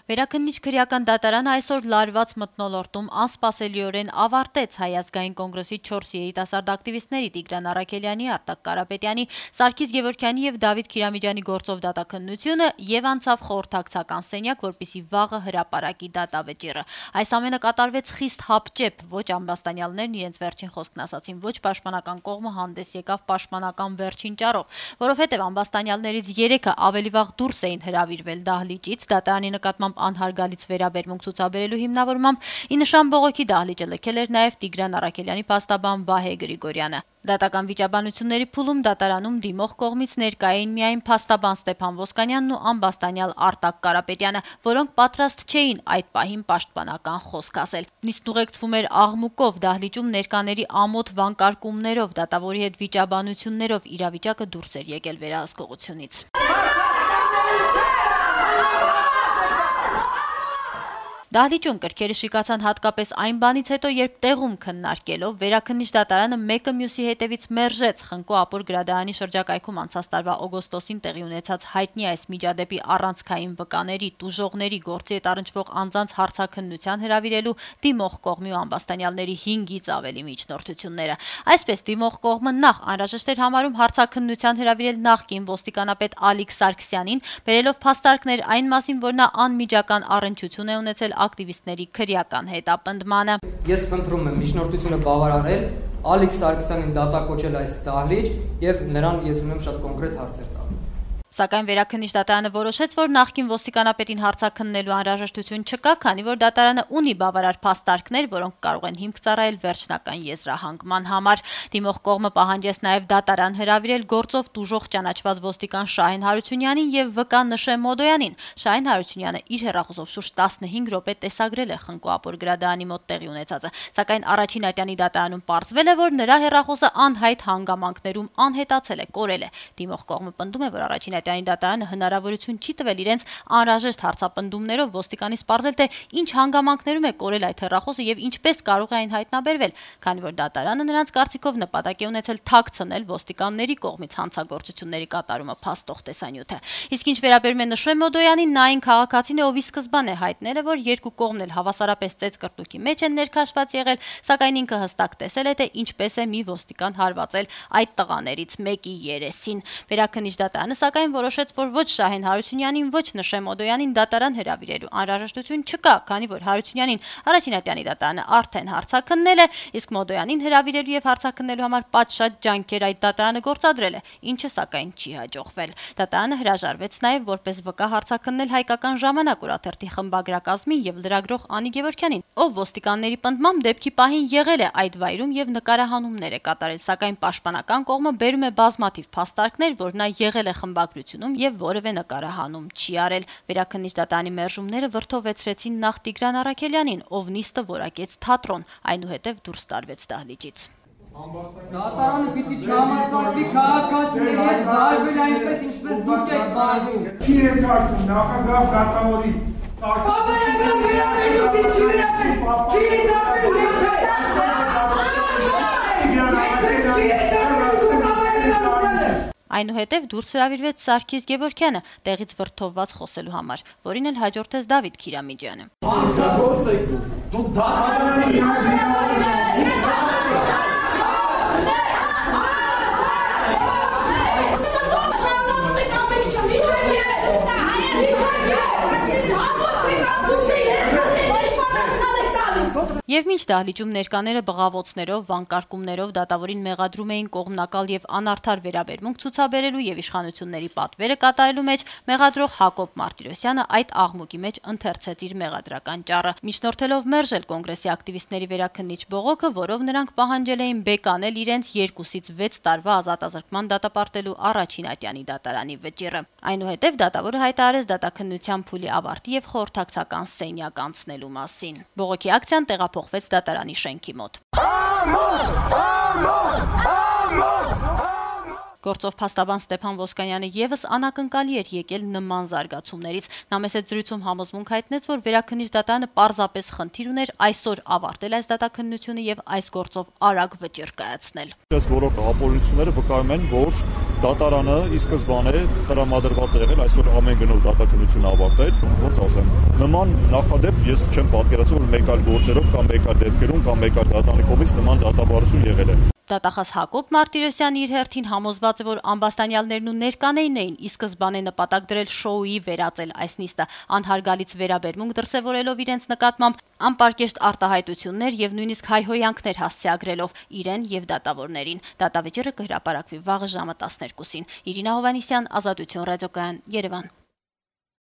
Վերաքննիչ քրեական դատարանը այսօր լարված մթնոլորտում անսպասելիորեն ավարտեց Հայ ազգային կոնգրեսի 4 երիտասարդ ակտիվիստների Տիգրան Առաքելյանի, Արտակ Կարապետյանի, Սարգիս Գևորգյանի եւ Դավիթ Քիրամիջյանի գործով դատաքննությունը եւ անցավ խորհրդակցական սենյակ, որպեսզի վաղը հրապարակի դատավճիռը։ Այս ամենը կատարվեց խիստ հապճեպ, ոչ ամբաստանյալներն իրենց վերջին խոսքն ասացին, ոչ պաշտպանական կողմը հանդես եկավ պաշտպանական վերջին ճառով, որովհետեւ ամբաստանյալներից 3-ը ավելի վաղ դուրս էին հրավիրվել դահլիճից, դատարանի նկատմամբ անհարգալից վերաբերմունք ցուցաբերելու հիմնավորմամբ ի նշան բողոքի դահլիճը լքել էր նաև Տիգրան Առաքելյանի փաստաբան Վահե Գրիգորյանը։ Դատական վիճաբանությունների փուլում դատարանում դիմող կողմից ներկա էին միայն փաստաբան Ստեփան Ոսկանյանն ու ամբաստանյալ Արտակ Կարապետյանը, որոնք պատրաստ չէին այդ պահին պաշտպանական խոսք ասել։ Նիստն ուղեկցվում էր աղմուկով, դահլիճում ներկաների ամոթ վանկարկումներով, դատավորի հետ վիճաբանություններով, իրավիճակը դուրս էր եկել վերահսկողությունից։ Դահլիճում կրքերը շիկացան հատկապես այն բանից հետո, երբ տեղում քննարկելով վերաքննիչ դատարանը մեկը մյուսի հետևից մերժեց Խնկո Ապոր գրադարանի շրջակայքում անցած տարվա օգոստոսին տեղի ունեցած հայտնի այս միջադեպի առանցքային վկաների, տուժողների, գործի հետ առնչվող անձանց հարցաքննության հրավիրելու դիմող կողմի ու ամբաստանյալների 5-ից ավելի միջնորդությունները։ Այսպես դիմող կողմը նախ անհրաժեշտ էր համարում հարցաքննության հրավիրել նախկին ոստիկանապետ Ալիկ Սարգսյանին, բերելով փաստարկներ այն մասին, որ նա անմիջական առնչություն է ունեցել ակտիվիստների քրեական հետապնդմանը։ Ես խնդրում եմ միջնորդությունը բավարարել, Ալիկ Սարգսյանին դատակոչել այս դահլիճ եւ նրան ես ունեմ շատ կոնկրետ հարցեր տալ։ Սակայն վերաքննիչ դատարանը որոշեց, որ նախկին ոստիկանապետին հարցաքննելու անհրաժեշտություն չկա, քանի որ դատարանը ունի բավարար փաստարկներ, որոնք կարող են հիմք ծառայել վերջնական եզրահանգման համար։ Դիմող կողմը պահանջեց նաև դատարան հրավիրել գործով տուժող ճանաչված ոստիկան Շահեն Հարությունյանին եւ վկա Նշե Մոդոյանին։ Շահեն Հարությունյանը իր հեռախոսով շուրջ 15 րոպե տեսագրել է Խնկո Ապոր գրադարանի մոտ տեղի ունեցածը, սակայն առաջին ատյանի դատարանում պարզվել է, որ նրա հեռախոսը անհայտ հանգամանքներում անհետացել է, կորել է։ Դիմող կողմը պնդում է, որ առաջին դատարանը հնարավորություն չի տվել իրենց անհրաժեշտ հարցապնդումներով ոստիկանից պարզել, թե ինչ հանգամանքներում է կորել այդ հեռախոսը եւ ինչպես կարող է այն հայտնաբերվել, քանի որ դատարանը նրանց կարծիքով նպատակ է ունեցել թաքցնել ոստիկանների կողմից հանցագործությունների կատարումը փաստող տեսանյութը։ Իսկ ինչ վերաբերում է Նշե Մոդոյանին, նա այն քաղաքացին է, ով ի սկզբանե հայտնել է, որ երկու կողմն էլ հավասարապես ծեծկրտուկի մեջ են ներքաշված եղել, սակայն ինքը հստակ տեսել է, թե ինչպես է մի ոստիկան հարվածել այդ տղաներից մեկի երեսին։ Վերաքննիչ դատարանը սակայն որոշեց, որ ոչ Շահեն Հարությունյանին, ոչ Նշե Մոդոյանին դատարան հրավիրելու անհրաժեշտություն չկա, քանի որ Հարությունյանին առաջին ատյանի դատարանը արդեն հարցաքննել է, իսկ Մոդոյանին հրավիրելու եւ հարցաքննելու համար պատշաճ ջանքեր այդ դատարանը գործադրել է, ինչը սակայն չի հաջողվել։ Դատարանը հրաժարվեց նաեւ որպես վկա հարցաքննել Հայկական ժամանակ օրաթերթի խմբագրակազմին եւ լրագրող Անի Գևորգյանին, ով ոստիկանների պնդմամբ դեպքի պահին եղել է այդ վայրում եւ նկարահանումներ է կատարել, սակայն պաշտպանական կողմը բերում է բազմաթիվ փաստարկներ, որ նա եղել է խմբագրությունում եւ որևէ նկարահանում չի արել։ Վերաքննիչ դատարանի մերժումները վրթովեցրեցին նախ Տիգրան Առաքելյանին, ով նիստը որակեց թատրոն, այնուհետև դուրս տարվեց դահլիճից։ Դատարանը պիտի չհամաձայնվի քաղաքացիների հետ վարվել այնպես, ինչպես դուք եք վարվում։ Չի է կարծում նախագահ դատավորի Այնուհետև դուրս հրավիրվեց Սարգիս Գևորգյանը տեղից վրթովված խոսելու համար, որին էլ հաջորդեց Դավիթ Քիրամիջյանը։ Եվ մինչ դահլիճում ներկաները բղավոցներով, վանկարկումներով դատավորին մեղադրում էին կողմնակալ եւ անարդար վերաբերմունք ցուցաբերելու եւ իշխանությունների պատվերը կատարելու մեջ, մեղադրող Հակոբ Մարտիրոսյանը այդ աղմուկի մեջ ընթերցեց իր մեղադրական ճառը, միջնորդելով մերժել կոնգրեսի ակտիվիստների վերաքննիչ բողոքը, որով նրանք պահանջել էին բեկանել իրենց 2-ից 6 տարվա ազատազրկման դատապարտելու առաջին ատյանի դատարանի վճիռը։ Այնուհետև դատավորը հայտարարեց դատաքննության փուլի ավարտի եւ խորհրդակցական սենյակ անցնելու մասին։ Բողոքի ակցիան տեղափոխվեց դատարանի շենքի մոտ։ Գործով փաստաբան Ստեփան Ոսկանյանը եւս անակնկալի էր եկել նման զարգացումներից։ Նա մեծ զրույցում համոզմունք հայտնեց, որ Վերաքննիչ դատարանը պարզապես խնդիր ուներ այսօր ավարտել այս դատաքննությունը եւ այս գործով արագ վճիռ կայացնել։ Այս բոլոր ապօրինությունները վկայում են, որ դատարանը ի սկզբանե տրամադրված է եղել այսօր ամեն գնով դատաքննությունը ավարտել, ոնց ասեմ, նման նախադեպ ես չեմ պատկերացնում, որ մեկ այլ գործերով կամ մեկ այլ դեպքերում կամ մեկ այլ դատարանի կողմից նման դատաբարություն եղել է։ Դատախազ Հակոբ Մարտիրոսյանը իր հերթին համոզված է, որ ամբաստանյալներն ու ներկաներն էին ի սկզբանե նպատակ դրել շոուի վերածել այս նիստը, անհարգալից վերաբերմունք դրսևորելով իրենց նկատմամբ, անպարկեշտ արտահայտություններ եւ նույնիսկ հայհոյանքներ հասցեագրելով իրեն եւ դատավորներին։ Դատավճիռը կհրապարակվի վաղը ժամը 12-ին։ Իրինա Հովհաննիսյան, Ազատություն ռադիոկայան, Երևան։